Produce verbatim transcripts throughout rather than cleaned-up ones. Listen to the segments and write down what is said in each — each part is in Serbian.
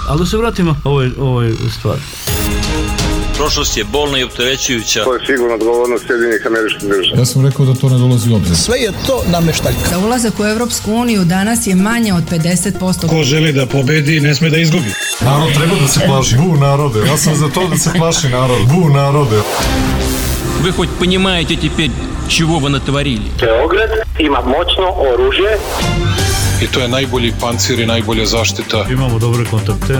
Ali da se vratimo ovoj, ovoj stvari. Prošlost je bolna i opterećujuća. To je sigurno odgovornost Sjedinjenih Američkih Država. Ja sam rekao da to ne dolazi u obzir. Sve je to nameštaljka. Da ulazak u Evropsku uniju danas je manje od pedeset posto. Ko želi da pobedi, ne sme da izgubi. Narod treba da se plaši. Bu narode. Ja sam za to da se plaši narod. Bu narode. Вы хоть понимаете теперь, чего вы натворили? Beograd ima moćno oružje. I to je najbolji pancir i najbolja zaštita. Imamo dobre kontakte.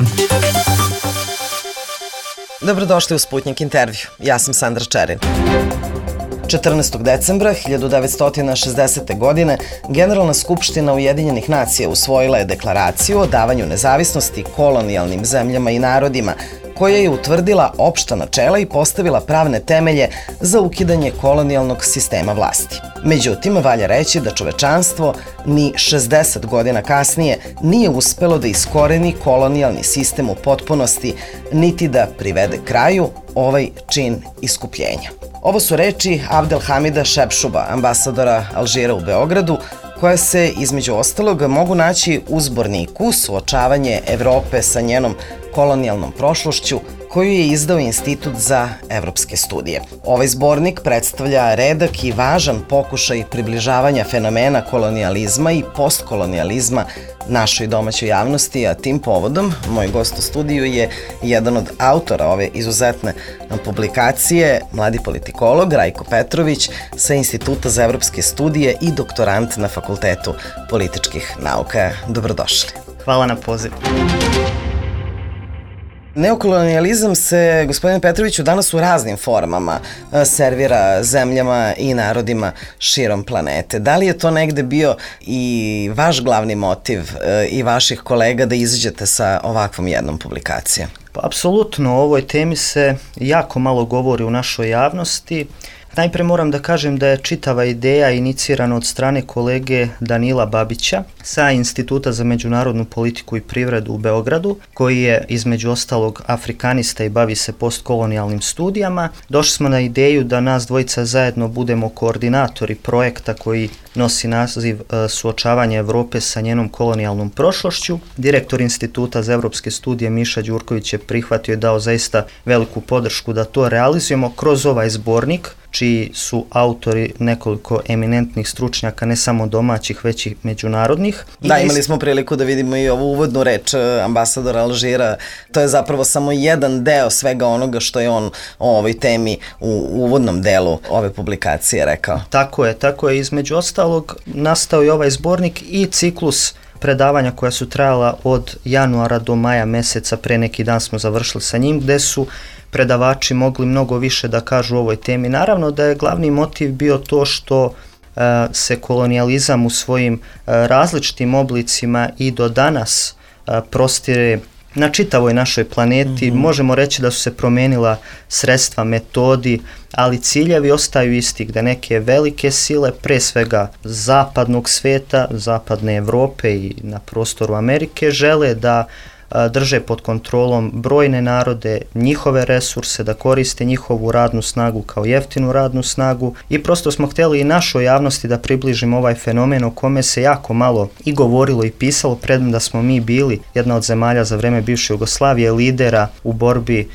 Dobrodošli u Sputnik intervju. Ja sam Sandra Čerin. četrnaestog decembra hiljadu devetsto šezdesete. godine Generalna skupština Ujedinjenih nacija usvojila je deklaraciju o davanju nezavisnosti kolonijalnim zemljama i narodima, koja je utvrdila opšta načela i postavila pravne temelje za ukidanje kolonijalnog sistema vlasti. Međutim, valja reći da čovečanstvo ni šezdeset godina kasnije nije uspelo da iskoreni kolonijalni sistem u potpunosti, niti da privede kraju ovaj čin iskupljenja. Ovo su reči Abdelhamida Šepšuba, ambasadora Alžira u Beogradu, koje se, između ostalog, mogu naći u zborniku Suočavanje Evrope sa njenom kolonijalnom prošlošću, koju je izdao Institut za evropske studije. Ovaj zbornik predstavlja redak i važan pokušaj približavanja fenomena kolonijalizma i postkolonijalizma našoj domaćoj javnosti, a tim povodom moj gost u studiju je jedan od autora ove izuzetne publikacije, mladi politikolog Rajko Petrović sa Instituta za evropske studije i doktorant na Fakultetu političkih nauka. Dobrodošli. Hvala na pozivu. Neokolonijalizam se, gospodine Petroviću, danas u raznim formama servira zemljama i narodima širom planete. Da li je to negde bio i vaš glavni motiv i vaših kolega da izađete sa ovakvom jednom publikacijom? Pa, apsolutno, o ovoj temi se jako malo govori u našoj javnosti. Najpre moram da kažem da je čitava ideja inicirana od strane kolege Danila Babića sa Instituta za međunarodnu politiku i privredu u Beogradu, koji je između ostalog afrikanista i bavi se postkolonijalnim studijama. Došli smo na ideju da nas dvojica zajedno budemo koordinatori projekta koji nosi naziv Suočavanje Evrope sa njenom kolonijalnom prošlošću. Direktor Instituta za evropske studije Miša Đurković je prihvatio i dao zaista veliku podršku da to realizujemo kroz ovaj zbornik, čiji su autori nekoliko eminentnih stručnjaka, ne samo domaćih, već i međunarodnih. Da, imali smo priliku da vidimo i ovu uvodnu reč ambasadora Alžira. To je zapravo samo jedan deo svega onoga što je on o ovoj temi u uvodnom delu ove publikacije rekao. Tako je, tako je. Između ostalog nastao je ovaj zbornik i ciklus predavanja koja su trajala od januara do maja meseca, pre neki dan smo završili sa njim, gde su predavači mogli mnogo više da kažu o ovoj temi. Naravno da je glavni motiv bio to što uh, se kolonijalizam u svojim uh, različitim oblicima i do danas uh, prostire na čitavoj našoj planeti. Mm-hmm. Možemo reći da su se promenila sredstva, metodi, ali ciljevi ostaju isti, gde neke velike sile, pre svega zapadnog sveta, zapadne Evrope i na prostoru Amerike, žele da drže pod kontrolom brojne narode, njihove resurse, da koriste njihovu radnu snagu kao jeftinu radnu snagu i prosto smo htjeli i našoj javnosti da približimo ovaj fenomen o kome se jako malo i govorilo i pisalo, premda smo mi bili jedna od zemalja za vreme bivše Jugoslavije, lidera u borbi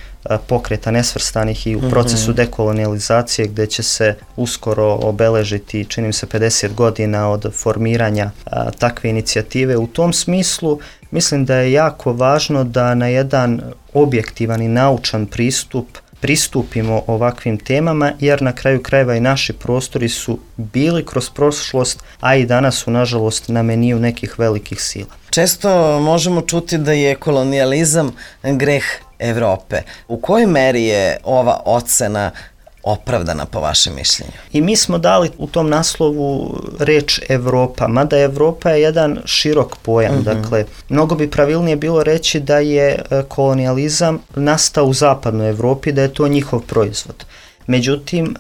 pokreta nesvrstanih i u procesu dekolonializacije, gde će se uskoro obeležiti, čini mi se, pedeset godina od formiranja a, takve inicijative. U tom smislu mislim da je jako važno da na jedan objektivan i naučan pristup pristupimo ovakvim temama, jer na kraju krajeva i naši prostori su bili kroz prošlost, a i danas su nažalost na meniju nekih velikih sila. Često možemo čuti da je kolonijalizam greh Evrope. U kojoj meri je ova ocena opravdana po vašem mišljenju? I mi smo dali u tom naslovu reč Evropa, mada Evropa je jedan širok pojam. Mm-hmm. Dakle, mnogo bi pravilnije bilo reći da je kolonijalizam nastao u zapadnoj Evropi, da je to njihov proizvod. Međutim,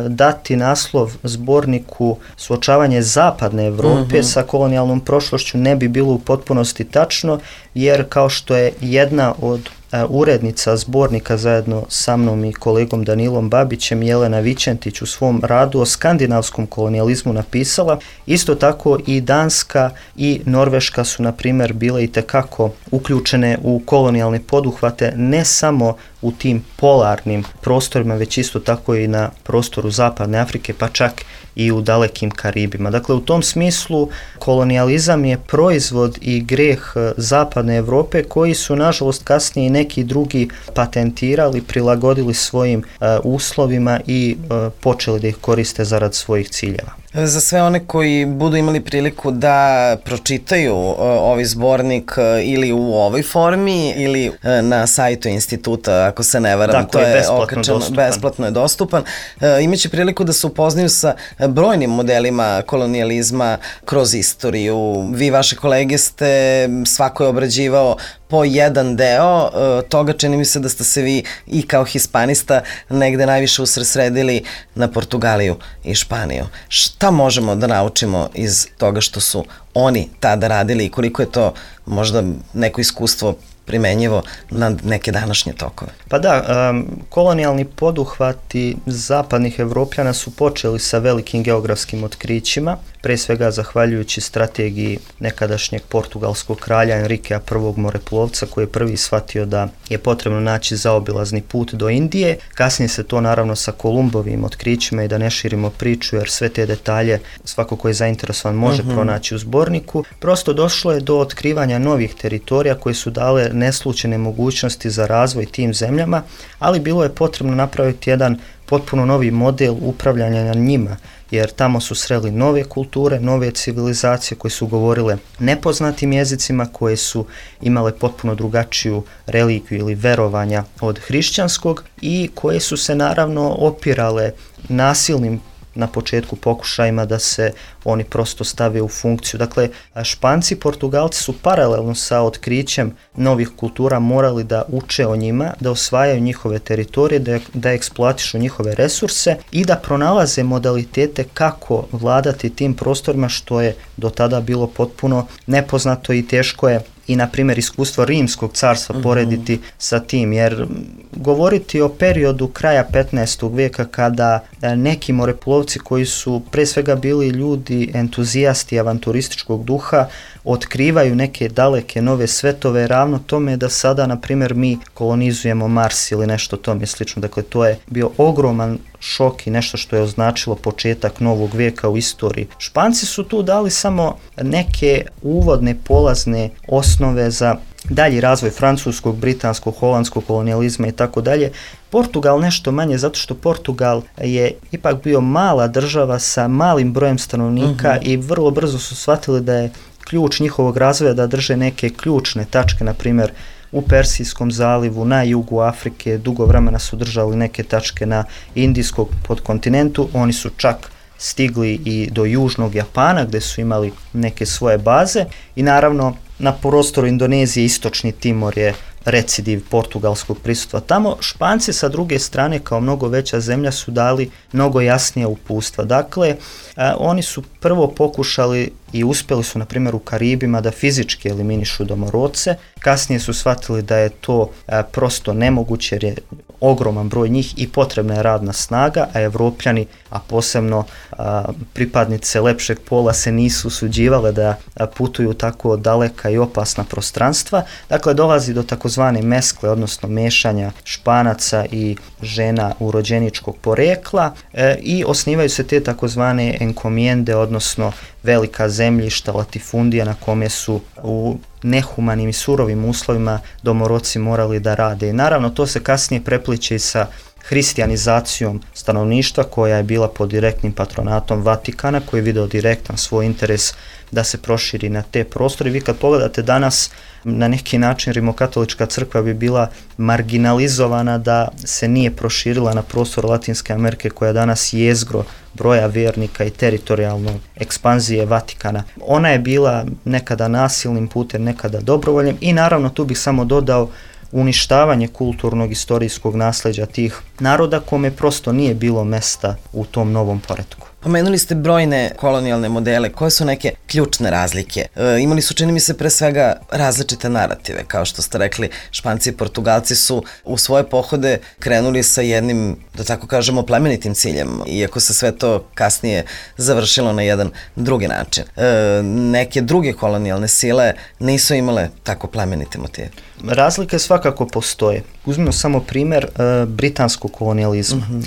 dati naslov zborniku Suočavanje zapadne Evrope mm-hmm. sa kolonijalnom prošlošću ne bi bilo u potpunosti tačno, jer kao što je jedna od urednica zbornika zajedno sa mnom i kolegom Danilom Babićem, Jelena Vičentić, u svom radu o skandinavskom kolonijalizmu napisala. Isto tako i Danska i Norveška su, na primjer, bile itekako uključene u kolonijalne poduhvate, ne samo u tim polarnim prostorima, već isto tako i na prostoru Zapadne Afrike, pa čak i u dalekim Karibima. Dakle, u tom smislu kolonijalizam je proizvod i greh Zapadne Europe, koji su, nažalost, kasnije i neki drugi patentirali, prilagodili svojim uh, uslovima i uh, počeli da ih koriste zarad svojih ciljeva. Za sve one koji budu imali priliku da pročitaju uh, ovaj zbornik uh, ili u ovoj formi ili uh, na sajtu instituta, ako se ne varam, dakle, to je besplatno okačano, dostupan. besplatno je dostupan. Uh, imaće priliku da se upoznaju sa brojnim modelima kolonijalizma kroz istoriju. Vi, vaše kolege, ste, svako je obrađivao po jedan deo uh, toga. Čini mi se da ste se vi i kao hispanista negde najviše usredsredili na Portugaliju i Španiju. Šta možemo da naučimo iz toga što su oni tada radili i koliko je to možda neko iskustvo primenjivo na neke današnje tokove? Pa da, um, kolonijalni poduhvati zapadnih Evropljana su počeli sa velikim geografskim otkrićima, pre svega zahvaljujući strategiji nekadašnjeg portugalskog kralja Enrikea prvog moreplovca, koji je prvi shvatio da je potrebno naći zaobilazni put do Indije. Kasnije se to, naravno, sa Kolumbovim otkrićima, i da ne širimo priču jer sve te detalje svako ko je zainteresovan može uh-huh. pronaći u zborniku. Prosto došlo je do otkrivanja novih teritorija koje su dale neslučene mogućnosti za razvoj tim zemljama, ali bilo je potrebno napraviti jedan potpuno novi model upravljanja na njima, jer tamo su sreli nove kulture, nove civilizacije koje su govorile nepoznatim jezicima, koje su imale potpuno drugačiju religiju ili verovanja od hrišćanskog i koje su se, naravno, opirale nasilnim na početku pokušajima da se oni prosto stave u funkciju. Dakle, Španci i Portugalci su paralelno sa otkrićem novih kultura morali da uče o njima, da osvajaju njihove teritorije, da, da eksploatišu njihove resurse i da pronalaze modalitete kako vladati tim prostorima, što je do tada bilo potpuno nepoznato i teško je i, na primjer, iskustvo Rimskog carstva uh-huh. porediti sa tim, jer govoriti o periodu kraja petnaestog vijeka kada neki moreplovci koji su pre svega bili ljudi entuzijasti avanturističkog duha otkrivaju neke daleke nove svetove, ravno tome da sada, na primjer, mi kolonizujemo Mars ili nešto tome slično. Dakle, to je bio ogroman šok i nešto što je označilo početak novog vijeka u istoriji. Španci su tu dali samo neke uvodne polazne osnove za dalji razvoj francuskog, britanskog, holandskog kolonijalizma i tako dalje. Portugal nešto manje, zato što Portugal je ipak bio mala država sa malim brojem stanovnika uh-huh. i vrlo brzo su shvatili da je ključ njihovog razvoja da drže neke ključne tačke, na primjer u Persijskom zalivu, na jugu Afrike, dugo vremena su držali neke tačke na Indijskom podkontinentu, oni su čak stigli i do južnog Japana gdje su imali neke svoje baze i, naravno, na prostoru Indonezije istočni Timor je recidiv portugalskog prisustva tamo. Španci, sa druge strane, kao mnogo veća zemlja, su dali mnogo jasnije uputstva. Dakle, a, oni su prvo pokušali i uspjeli su, na primjer, u Karibima da fizički eliminišu domorodce. Kasnije su shvatili da je to a, prosto nemoguće jer je ogroman broj njih i potrebna je radna snaga, a Evropljani, a posebno a, pripadnice lepšeg pola, se nisu usuđivale da a, putuju tako daleka i opasna prostranstva. Dakle, dolazi do takozvane meskle, odnosno mešanja Španaca i žena urođeničkog porekla e, i osnivaju se te takozvane enkomijende, odnosno velika zemljišta, latifundija, na kome su u nehumanim i surovim uslovima domorodci morali da rade. I naravno, to se kasnije prepliče i sa hristijanizacijom stanovništva, koja je bila pod direktnim patronatom Vatikana, koji je video direktan svoj interes da se proširi na te prostore. Vi kad pogledate danas, na neki način rimokatolička crkva bi bila marginalizovana da se nije proširila na prostor Latinske Amerike, koja danas jezgro broja vjernika i teritorijalne ekspanzije Vatikana. Ona je bila nekada nasilnim putem, nekada dobrovoljnim i, naravno, tu bih samo dodao uništavanje kulturnog istorijskog nasleđa tih naroda, kome prosto nije bilo mesta u tom novom poretku. Pomenuli ste brojne kolonijalne modele. Koje su neke ključne razlike? E, imali su, čini mi se, pre svega različite narative. Kao što ste rekli, Španci i Portugalci su u svoje pohode krenuli sa jednim, da tako kažemo, plemenitim ciljem, iako se sve to kasnije završilo na jedan drugi način. E, neke druge kolonijalne sile nisu imale tako plemenite motive. Razlike svakako postoje. Uzmimo samo primjer e, britanskog kolonijalizma. Mm-hmm.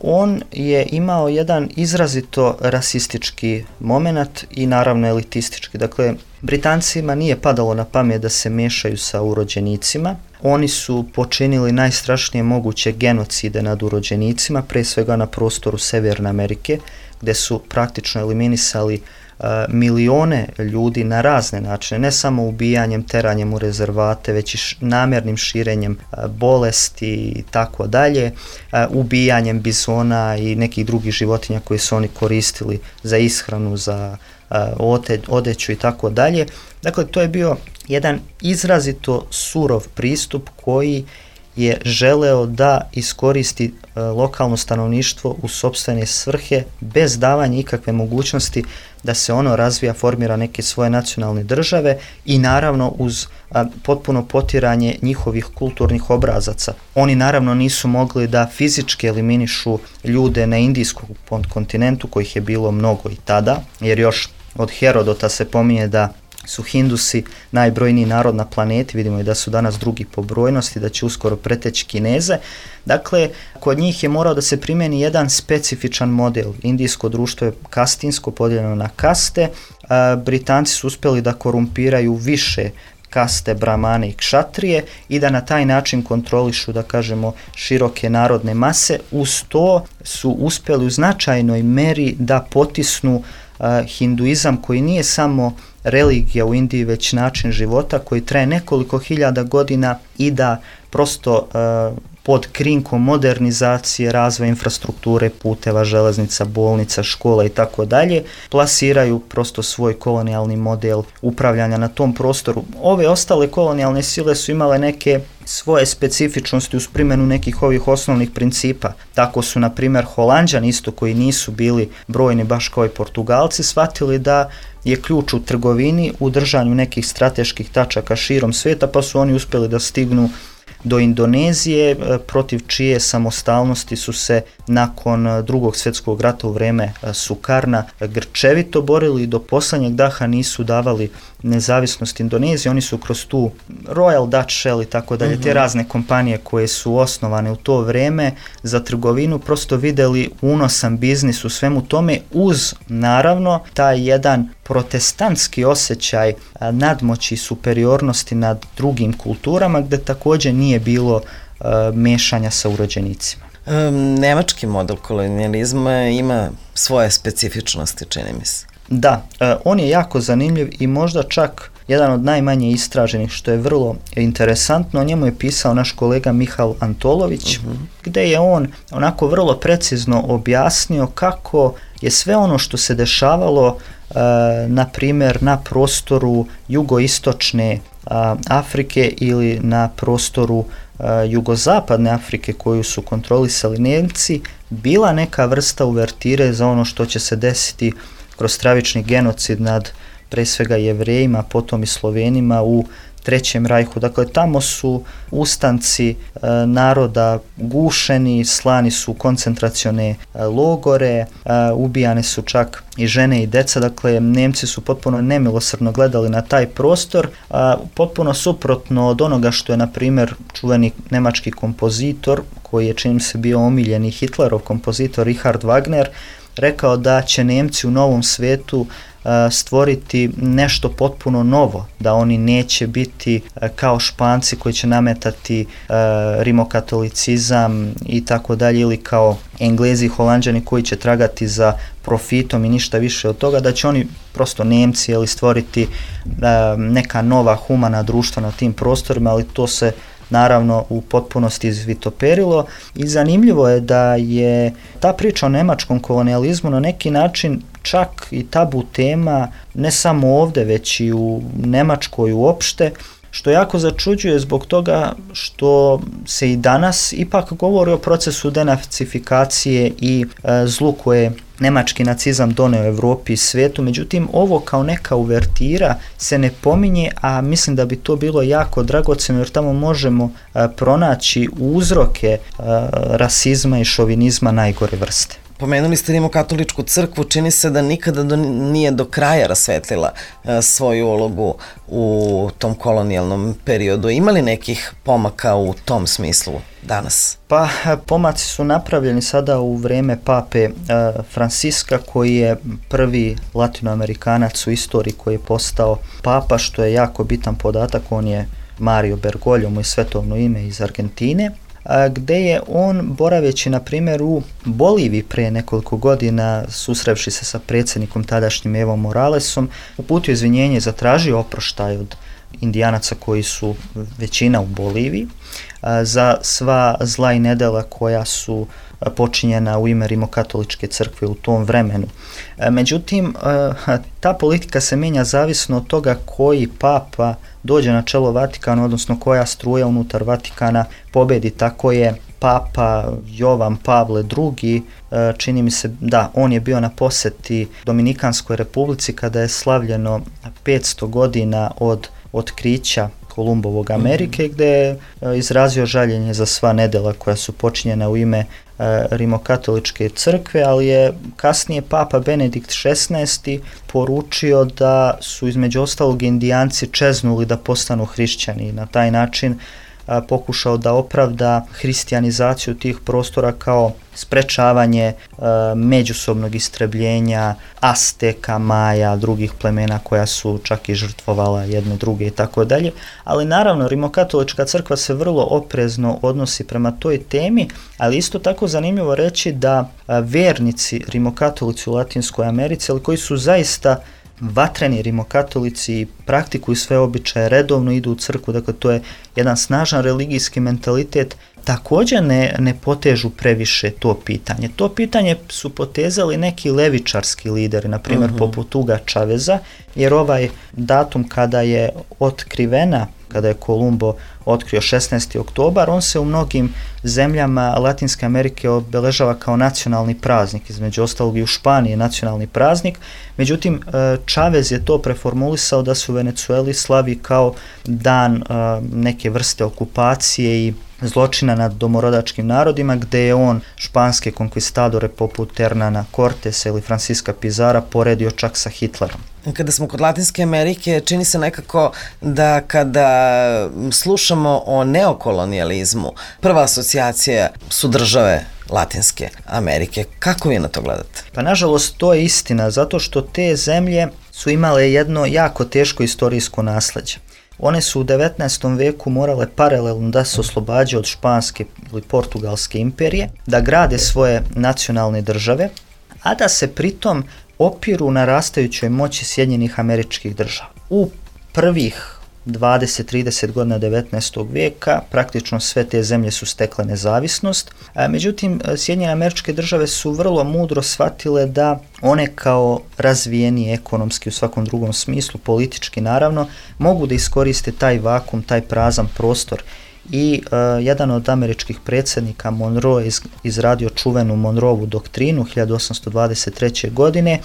On je imao jedan izrazito rasistički moment i naravno elitistički. Dakle, Britancima nije padalo na pamet da se mešaju sa urođenicima. Oni su počinili najstrašnije moguće genocide nad urođenicima, pre svega na prostoru Severne Amerike, gde su praktično eliminisali uh, milione ljudi na razne načine, ne samo ubijanjem, teranjem u rezervate, već i š, namjernim širenjem uh, bolesti i tako dalje, uh, ubijanjem bizona i nekih drugih životinja koje su oni koristili za ishranu, za uh, ote, odeću i tako dalje. Dakle, to je bio jedan izrazito surov pristup koji je želeo da iskoristi e, lokalno stanovništvo u sopstvene svrhe bez davanja ikakve mogućnosti da se ono razvija, formira neke svoje nacionalne države i naravno uz a, potpuno potiranje njihovih kulturnih obrazaca. Oni naravno nisu mogli da fizički eliminišu ljude na indijskom kontinentu, kojih je bilo mnogo i tada, jer još od Herodota se pominje da su Hindusi najbrojniji narod na planeti, vidimo i da su danas drugi po brojnosti, da će uskoro preteći Kineze. Dakle, kod njih je morao da se primjeni jedan specifičan model. Indijsko društvo je kastinsko, podijeljeno na kaste. A, Britanci su uspjeli da korumpiraju više kaste, bramane i kšatrije i da na taj način kontrolišu, da kažemo, široke narodne mase. Uz to su uspjeli u značajnoj meri da potisnu uh, hinduizam, koji nije samo religija u Indiji, već način života koji traje nekoliko hiljada godina i da prosto uh, pod krinkom modernizacije, razvoja infrastrukture, puteva, železnica, bolnica, škola i tako dalje, plasiraju prosto svoj kolonijalni model upravljanja na tom prostoru. Ove ostale kolonijalne sile su imale neke svoje specifičnosti uz primjenu nekih ovih osnovnih principa. Tako su, na primjer, Holanđani, isto koji nisu bili brojni baš kao i Portugalci, shvatili da je ključ u trgovini, u držanju nekih strateških tačaka širom svijeta, pa su oni uspjeli da stignu do Indonezije, protiv čije samostalnosti su se nakon drugog svjetskog rata u vrijeme Sukarna grčevito borili i do posljednjeg daha nisu davali nezavisnost Indonezije. Oni su kroz tu Royal Dutch Shell i tako dalje, te razne kompanije koje su osnovane u to vrijeme za trgovinu, prosto vidjeli unosan biznis u svemu tome, uz naravno taj jedan protestantski osjećaj nadmoći i superiornosti nad drugim kulturama, gdje također nije bilo uh, mešanja sa urođenicima. Um, nemački model kolonijalizma ima svoje specifičnosti, čini mi se. Da, uh, on je jako zanimljiv i možda čak jedan od najmanje istraženih, što je vrlo interesantno. O njemu je pisao naš kolega Mihal Antolović, uh-huh. gdje je on onako vrlo precizno objasnio kako je sve ono što se dešavalo uh, na primjer na prostoru jugoistočne uh, Afrike ili na prostoru uh, jugozapadne Afrike koju su kontrolisali Nemci, bila neka vrsta uvertire za ono što će se desiti kroz stravični genocid nad pre svega Jevrejima, potom i Slovenima u Trećem rajhu. Dakle, tamo su ustanci e, naroda gušeni, slani su u koncentracione e, logore, e, ubijane su čak i žene i deca. Dakle, Nemci su potpuno nemilosrdno gledali na taj prostor, a, potpuno suprotno od onoga što je, na primjer, čuveni nemački kompozitor, koji je, čini se, bio omiljeni Hitlerov kompozitor Richard Wagner, rekao da će Nemci u novom svijetu uh, stvoriti nešto potpuno novo, da oni neće biti uh, kao Španci koji će nametati uh, rimokatolicizam i tako dalje, ili kao Englezi i Holanđani koji će tragati za profitom i ništa više od toga, da će oni prosto Nemci ili stvoriti uh, neka nova humana društva na tim prostorima, ali to se naravno u potpunosti izvitoperilo i zanimljivo je da je ta priča o nemačkom kolonijalizmu na neki način čak i tabu tema ne samo ovdje, već i u Nemačkoj uopšte, što jako začuđuje zbog toga što se i danas ipak govori o procesu denacifikacije i e, zlu koje nemački nacizam doneo Evropi i svijetu, međutim ovo kao neka uvertira se ne pominje, a mislim da bi to bilo jako dragocjeno jer tamo možemo e, pronaći uzroke e, rasizma i šovinizma najgore vrste. Pomenuli ste Rimokatoličku crkvu, čini se da nikada do, nije do kraja rasvetlila e, svoju ulogu u tom kolonijalnom periodu. Ima li nekih pomaka u tom smislu danas? Pa pomaci su napravljeni sada u vrijeme pape e, Franciska, koji je prvi latinoamerikanac u istoriji koji je postao papa, što je jako bitan podatak. On je Mario Bergoglio, mu je svetovno ime, iz Argentine, gde je on, boraveći na primjer u Boliviji pre nekoliko godina, susrevši se sa predsjednikom tadašnjim Evo Moralesom, uputio izvinjenje i zatražio oproštaj od Indijanaca koji su većina u Boliviji za sva zla i nedela koja su počinjena u ime Rimokatoličke crkve u tom vremenu. Međutim, ta politika se mijenja zavisno od toga koji papa dođe na čelo Vatikana, odnosno koja struja unutar Vatikana pobedi. Tako je papa Jovan Pavle drugi, čini mi se da on je bio na posjeti Dominikanskoj republici kada je slavljeno petsto godina od otkrića Kolumbovog Amerike, gdje je izrazio žaljenje za sva nedela koja su počinjena u ime Rimokatoličke crkve, ali je kasnije papa Benedikt šesnaesti poručio da su između ostalog Indijanci čeznuli da postanu hrišćani i na taj način a, pokušao da opravda hristijanizaciju tih prostora kao sprečavanje a, međusobnog istrebljenja Azteka, Maja, drugih plemena koja su čak i žrtvovala jedne druge i tako dalje. Ali naravno Rimokatolička crkva se vrlo oprezno odnosi prema toj temi, ali isto tako zanimljivo reći da a, vernici Rimokatolici u Latinskoj Americi, ali koji su zaista vatreni rimokatolici i praktikuju sve običaje, redovno idu u crkvu, dakle to je jedan snažan religijski mentalitet, također ne, ne potežu previše to pitanje. To pitanje su potezali neki levičarski lideri, na primjer uh-huh. poput Huga Chaveza, jer ovaj datum kada je otkrivena, kada je Kolumbo otkrio šesnaesti oktobar, on se u mnogim zemljama Latinske Amerike obeležava kao nacionalni praznik, između ostalog i u Španiji nacionalni praznik, međutim Chavez je to preformulisao da se u Venezueli slavi kao dan neke vrste okupacije i zločina nad domorodačkim narodima, gde je on španske konkvistadore poput Hernana Cortesa ili Francisca Pizara poredio čak sa Hitlerom. Kada smo kod Latinske Amerike, čini se nekako da kada slušamo o neokolonijalizmu, prva asocijacija su države Latinske Amerike. Kako vi na to gledate? Pa nažalost to je istina, zato što te zemlje su imale jedno jako teško istorijsko nasleđe. One su u devetnaestom veku morale paralelno da se oslobađaju od španske ili portugalske imperije, da grade svoje nacionalne države, a da se pritom opiru na rastajućoj moći Sjedinjenih Američkih Država. U prvih dvadeset do trideset godina devetnaestog vijeka praktično sve te zemlje su stekle nezavisnost, a međutim Sjedinjene Američke Države su vrlo mudro shvatile da one kao razvijenije ekonomski u svakom drugom smislu, politički naravno, mogu da iskoriste taj vakum, taj prazan prostor. I uh, jedan od američkih predsjednika, Monroe, iz, izradio čuvenu Monroevu doktrinu hiljadu osamsto dvadeset treće. godine,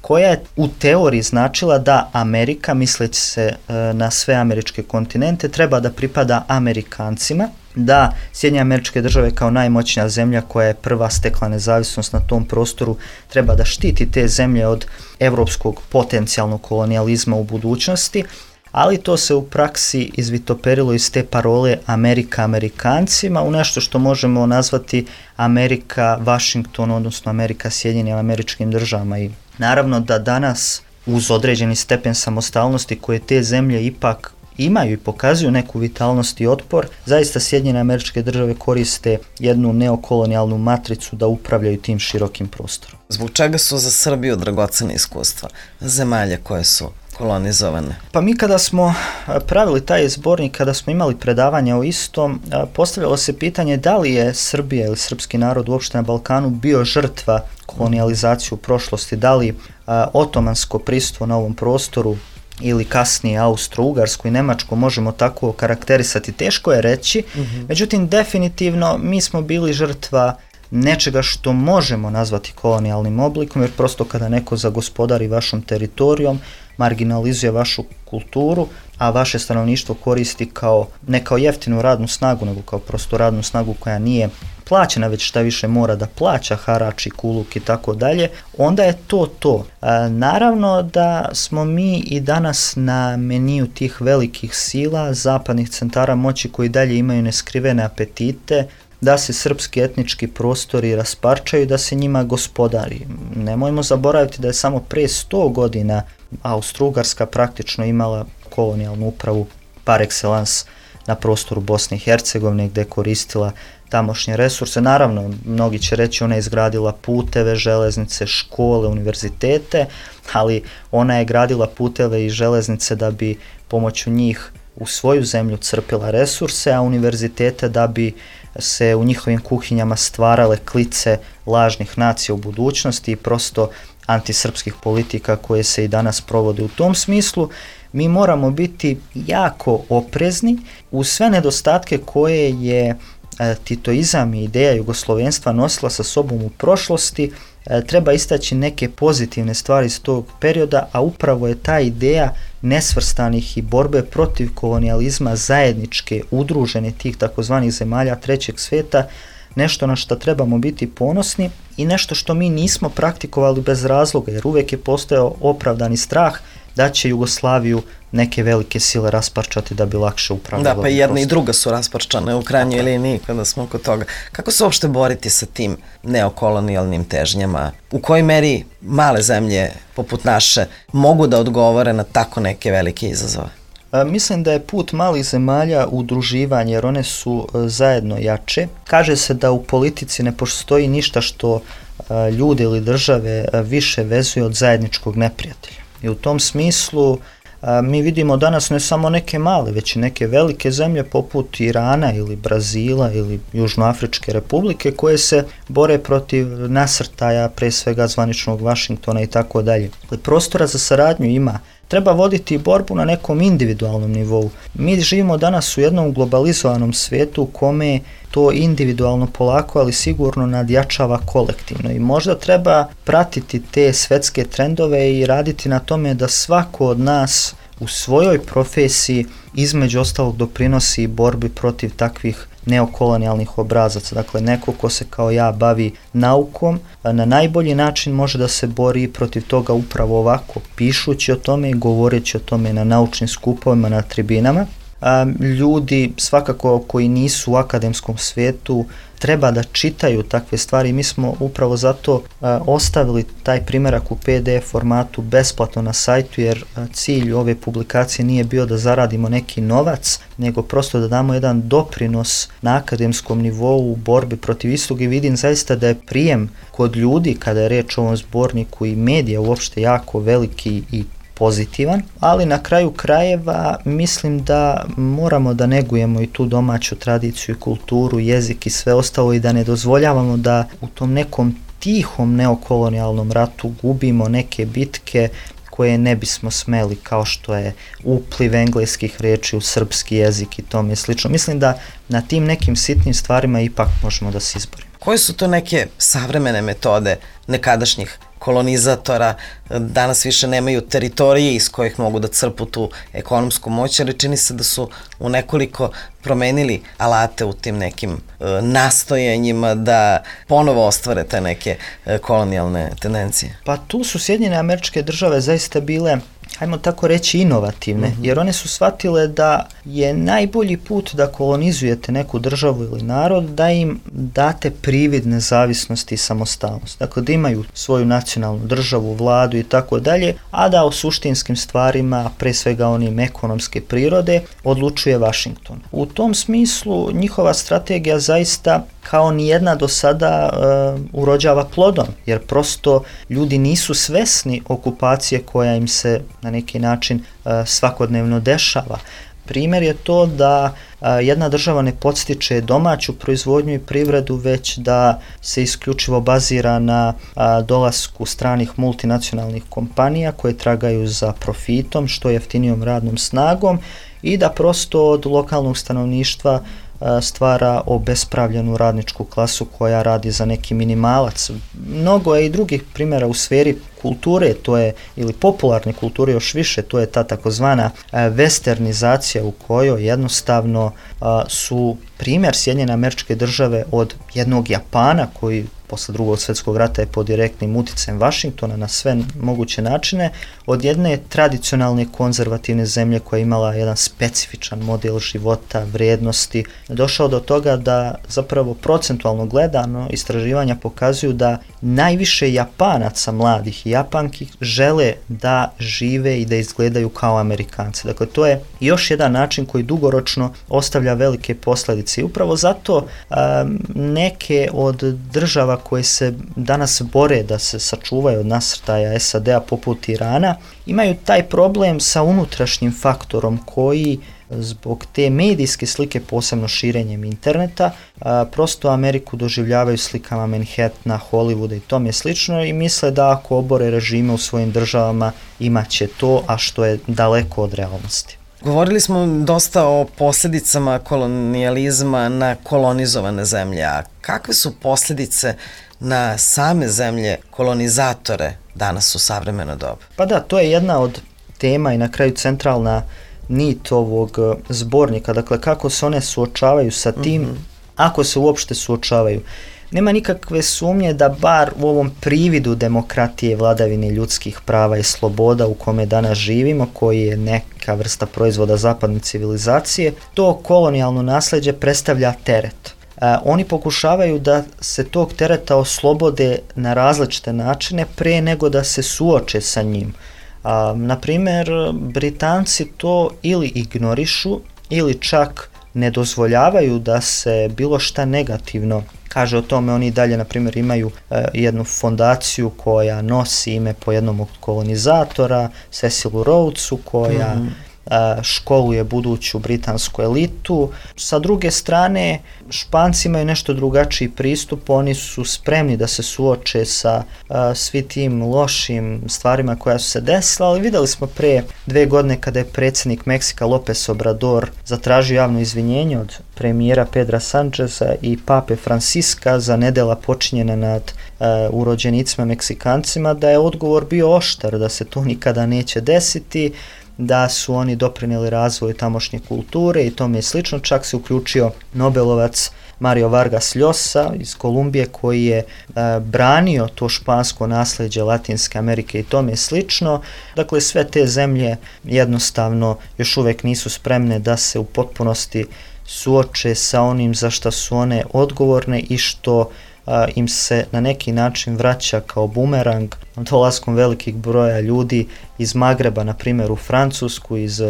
koja je u teoriji značila da Amerika, misleći se uh, na sve američke kontinente, treba da pripada Amerikancima, da Sjedinjene Američke Države kao najmoćnija zemlja koja je prva stekla nezavisnost na tom prostoru treba da štiti te zemlje od evropskog potencijalnog kolonijalizma u budućnosti, ali to se u praksi izvitoperilo iz te parole Amerika Amerikancima u nešto što možemo nazvati Amerika Washington, odnosno Amerika Sjedinjenim Američkim Državama. I naravno da danas uz određeni stepen samostalnosti koje te zemlje ipak imaju i pokazuju neku vitalnost i otpor, zaista Sjedinjene Američke Države koriste jednu neokolonijalnu matricu da upravljaju tim širokim prostorom. Zbog čega su za Srbiju dragocena iskustva zemalja koje su kolonizovane? Pa mi kada smo pravili taj zbornik, kada smo imali predavanja o istom, postavljalo se pitanje da li je Srbija ili srpski narod uopšte na Balkanu bio žrtva kolonijalizacije u prošlosti, da li a, otomansko prisustvo na ovom prostoru ili kasnije Austro-Ugarsku i Nemačku možemo tako karakterisati, teško je reći. Mm-hmm. Međutim, definitivno mi smo bili žrtva nečega što možemo nazvati kolonijalnim oblikom, jer prosto kada neko zagospodari vašom teritorijom, marginalizuje vašu kulturu, a vaše stanovništvo koristi kao, ne kao jeftinu radnu snagu, nego kao prosto radnu snagu koja nije plaćena, već šta više mora da plaća harač i kuluk i tako dalje, onda je to to. E, naravno da smo mi i danas na meniju tih velikih sila, zapadnih centara moći koji dalje imaju neskrivene apetite, da se srpski etnički prostori rasparčaju, da se njima gospodari. Nemojmo zaboraviti da je samo pre sto godina Austro-Ugarska praktično imala kolonijalnu upravu par excellence na prostoru Bosne i Hercegovine, gdje je koristila tamošnje resurse. Naravno, mnogi će reći ona je izgradila puteve, železnice, škole, univerzitete, ali ona je gradila puteve i železnice da bi pomoću njih u svoju zemlju crpila resurse, a univerzitete da bi se u njihovim kuhinjama stvarale klice lažnih nacija u budućnosti i prosto antisrpskih politika koje se i danas provode u tom smislu. Mi moramo biti jako oprezni uz sve nedostatke koje je e, titoizam i ideja jugoslovenstva nosila sa sobom u prošlosti. E, treba istaći neke pozitivne stvari iz tog perioda, a upravo je ta ideja nesvrstanih i borbe protiv kolonijalizma zajedničke, udružene tih takozvanih zemalja trećeg sveta, nešto na što trebamo biti ponosni i nešto što mi nismo praktikovali bez razloga, jer uvijek je postojao opravdani strah da će Jugoslaviju neke velike sile rasparčati da bi lakše upravljala. Da, pa jedna i druga su rasparčane u krajnjoj liniji kada smo kod toga. Kako se uopšte boriti sa tim neokolonijalnim težnjama? U kojoj meri male zemlje poput naše mogu da odgovore na tako neke velike izazove? A, mislim da je put malih zemalja udruživanje, jer one su a, zajedno jače. Kaže se da u politici ne postoji ništa što a, ljude ili države a, više vezuje od zajedničkog neprijatelja. I u tom smislu a, mi vidimo danas ne samo neke male, već i neke velike zemlje poput Irana ili Brazila ili Južnoafričke republike koje se bore protiv nasrtaja, pre svega zvaničnog Vašingtona i tako dalje. Prostora za saradnju ima. Treba voditi borbu na nekom individualnom nivou. Mi živimo danas u jednom globalizovanom svijetu u kome to individualno polako, ali sigurno nadjačava kolektivno. I možda treba pratiti te svetske trendove i raditi na tome da svako od nas u svojoj profesiji između ostalog doprinosi borbi protiv takvih neokolonijalnih obrazaca. Dakle, neko ko se kao ja bavi naukom, na najbolji način može da se bori protiv toga upravo ovako, pišući o tome i govoreći o tome na naučnim skupovima, na tribinama. A, ljudi svakako koji nisu u akademskom svijetu treba da čitaju takve stvari. Mi smo upravo zato a, ostavili taj primjerak u P D F formatu besplatno na sajtu, jer a, cilj ove publikacije nije bio da zaradimo neki novac, nego prosto da damo jedan doprinos na akademskom nivou u borbi protiv istog, i vidim zaista da je prijem kod ljudi kada je reč o ovom zborniku i medija uopšte jako veliki i pozitivan, ali na kraju krajeva mislim da moramo da negujemo i tu domaću tradiciju i kulturu, jezik i sve ostalo i da ne dozvoljavamo da u tom nekom tihom neokolonijalnom ratu gubimo neke bitke koje ne bismo smeli, kao što je upliv engleskih riječi u srpski jezik i tome slično. Mislim da na tim nekim sitnim stvarima ipak možemo da se izborimo. Koje su to neke savremene metode nekadašnjih kolonizatora? Danas više nemaju teritorije iz kojih mogu da crpu tu ekonomsku moć, ali čini se da su u nekoliko promenili alate u tim nekim e, nastojanjima da ponovo ostvare te neke e, kolonijalne tendencije. Pa tu su Sjedinjene Američke Države zaista bile, hajmo tako reći, inovativne, mm-hmm. jer one su shvatile da je najbolji put da kolonizujete neku državu ili narod da im date privid nezavisnosti i samostalnosti. Dakle, da imaju svoju nacionalnu državu, vladu i tako dalje, a da o suštinskim stvarima, pre svega onim ekonomske prirode, odlučuje Vašington. U tom smislu njihova strategija zaista kao nijedna do sada uh, urođava plodom, jer prosto ljudi nisu svesni okupacije koja im se na neki način uh, svakodnevno dešava. primjer je to da jedna država ne podstiče domaću proizvodnju i privredu, već da se isključivo bazira na dolasku stranih multinacionalnih kompanija koje tragaju za profitom, što jeftinijom radnom snagom i da prosto od lokalnog stanovništva stvara obespravljenu radničku klasu koja radi za neki minimalac. Mnogo je i drugih primjera u sferi kulture, to je, ili popularne kulture još više, to je ta takozvana westernizacija u kojoj jednostavno a, su primjer Sjedinjene Američke Države od jednog Japana koji posle drugog svjetskog rata je pod direktnim uticajem Vašingtona na sve moguće načine, od jedne tradicionalne konzervativne zemlje koja je imala jedan specifičan model života, vrijednosti, došao do toga da zapravo procentualno gledano istraživanja pokazuju da najviše Japanaca mladih i Japanki žele da žive i da izgledaju kao Amerikanci. Dakle, to je još jedan način koji dugoročno ostavlja velike posljedice. I upravo zato um, neke od država koje se danas bore da se sačuvaju od nasrtaja S A D-a poput Irana, imaju taj problem sa unutrašnjim faktorom koji zbog te medijske slike, posebno širenjem interneta, a, prosto Ameriku doživljavaju slikama Manhattana, Hollywooda i tome slično i misle da ako obore režime u svojim državama imaće to, a što je daleko od realnosti. Govorili smo dosta o posljedicama kolonijalizma na kolonizovane zemlje, a kakve su posljedice na same zemlje kolonizatore danas u savremeno doba? Pa da, to je jedna od tema i na kraju centralna nit ovog zbornika, dakle kako se one suočavaju sa tim, mm-hmm. ako se uopšte suočavaju. Nema nikakve sumnje da bar u ovom prividu demokratije, vladavine ljudskih prava i sloboda u kome danas živimo, koji je neka vrsta proizvoda zapadne civilizacije, to kolonijalno nasljeđe predstavlja teret. E, oni pokušavaju da se tog tereta oslobode na različite načine pre nego da se suoče sa njim. A, na primjer, Britanci to ili ignorišu ili čak ne dozvoljavaju da se bilo šta negativno kaže o tome. Oni dalje, na primjer, imaju e, jednu fondaciju koja nosi ime po jednom od kolonizatora, Cecilu Rhodesu, koja mm-hmm. e, školuje buduću britansku elitu. Sa druge strane, Španci imaju nešto drugačiji pristup, oni su spremni da se suoče sa uh, svi tim lošim stvarima koja su se desila, ali videli smo pre dve godine kada je predsjednik Meksika López Obrador zatražio javno izvinjenje od premijera Pedra Sancheza i pape Franciska za nedela počinjena nad uh, urođenicima Meksikancima, da je odgovor bio oštar, da se to nikada neće desiti, da su oni doprinijeli razvoju tamošnje kulture i tome slično. Čak se uključio Nobelovac Mario Vargas Llosa iz Kolumbije koji je e, branio to špansko nasljeđe Latinske Amerike i tome slično. Dakle, sve te zemlje jednostavno još uvijek nisu spremne da se u potpunosti suoče sa onim za što su one odgovorne i što a, im se na neki način vraća kao bumerang dolaskom velikih broja ljudi iz Magreba, na primjer u Francusku, iz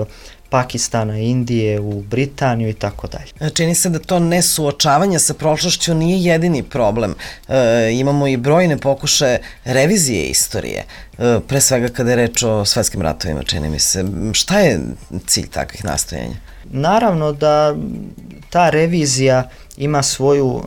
Pakistana, Indije, u Britaniju i tako dalje. Čini se da to nesuočavanje sa prošlošću nije jedini problem. E, imamo i brojne pokušaje revizije istorije, e, pre svega kada je reč o svetskim ratovima, čini mi se. Šta je cilj takvih nastojanja? Naravno da ta revizija ima svoju uh,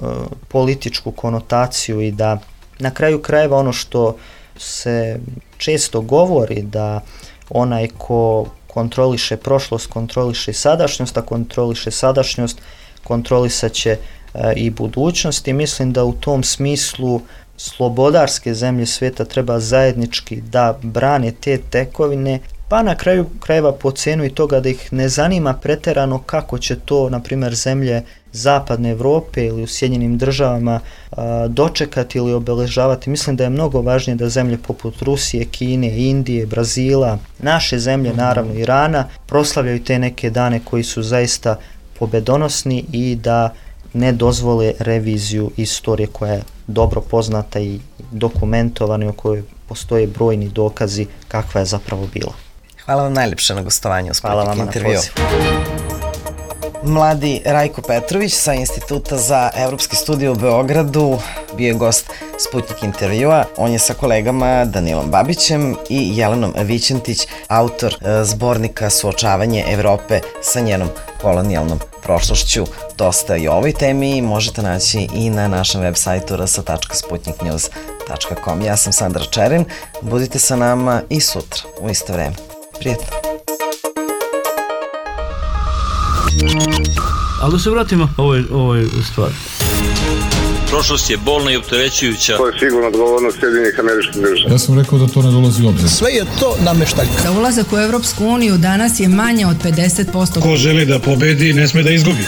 političku konotaciju i da na kraju krajeva ono što se često govori da onaj ko kontroliše prošlost, kontroliše sadašnjost, a kontroliše sadašnjost, kontrolisat će uh, i budućnost i mislim da u tom smislu slobodarske zemlje svijeta treba zajednički da brane te tekovine, pa na kraju krajeva po cenu i toga da ih ne zanima preterano kako će to, na primjer, zemlje Zapadne Evrope ili u Sjedinjenim državama a, dočekati ili obeležavati. Mislim da je mnogo važnije da zemlje poput Rusije, Kine, Indije, Brazila, naše zemlje, naravno Irana, proslavljaju te neke dane koji su zaista pobedonosni i da ne dozvole reviziju istorije koja je dobro poznata i dokumentovana i o kojoj postoje brojni dokazi kakva je zapravo bila. Hvala vam najljepše na gostovanju u Sputnik intervju. Mladi Rajko Petrović sa Instituta za evropski studij u Beogradu bio je gost Sputnik intervjua. On je sa kolegama Danilom Babićem i Jelenom Vićentić, autor e, zbornika Suočavanje Evrope sa njenom kolonijalnom prošlošću. Dosta i o ovoj temi možete naći i na našem web sajtu r s tačka sputnik news tačka com. Ja sam Sandra Čerin, budite sa nama i sutra u isto vreme. Prijetno! Ali da se vratimo ovoj, ovoj stvari. Prošlost je bolna i opterećujuća. To je sigurno odgovornost Sjedinjenih Američkih Država. Ja sam rekao da to ne dolazi u obzir. Sve je to nameštaljka. Za ulazak u Evropsku uniju danas je manje od pedeset posto. Ko želi da pobedi, ne sme da izgubi.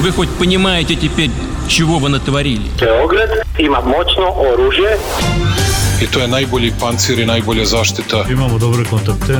Вы хоть понимаете теперь, чего вы натворили? Beograd ima moćno oružje. I to je najbolji pancir i najbolja zaštita. Imamo dobre kontakte.